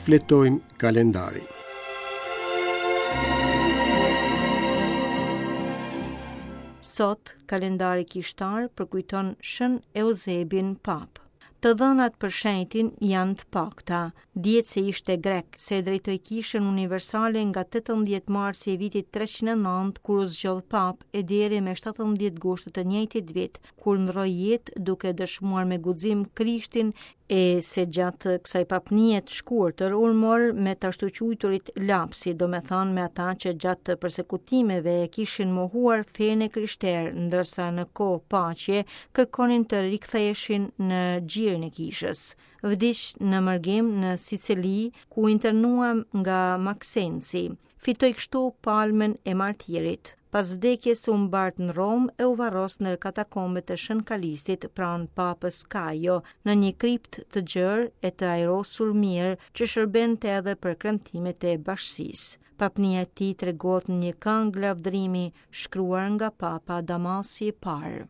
Shfletojmë kalendarin. Sot, kalendari kishtar përkujton Shën Euzebin Papë. Të dhënat për shenjtin janë të pakta. Dihet se ishte grek, se e drejtoi kishën universale nga 18 marsi i vitit 309 kur u zgjodh papë e deri me 17 gusht të njëjtit vit, kur ndërroi jetë duke dëshmuar me guxim Krishtin e se gjatë kësaj papnie të shkurtër u mor me të ashtuquajturit lapsi, domethënë me ata që gjatë persekutimeve e kishin mohuar fenë e krishterë, ndërsa në kohë paqe kërkonin të riktheheshin në gjirin e kishës. Vdiq në mërgim në Sicili, ku u internua nga Maksenci. Fitoi kështu palmën e martirit. Pas vdekjes u mbart në Romë e u varros në katakombet e Shën Kalistit pranë Papës Kajo, në një kriptë të gjerë e të ajrosur mirë që shërbente edhe për kremtimet e bashkësisë. Papnia e tij tregohet në një këngë lavdërimi shkruar nga Papa Damasi i parë.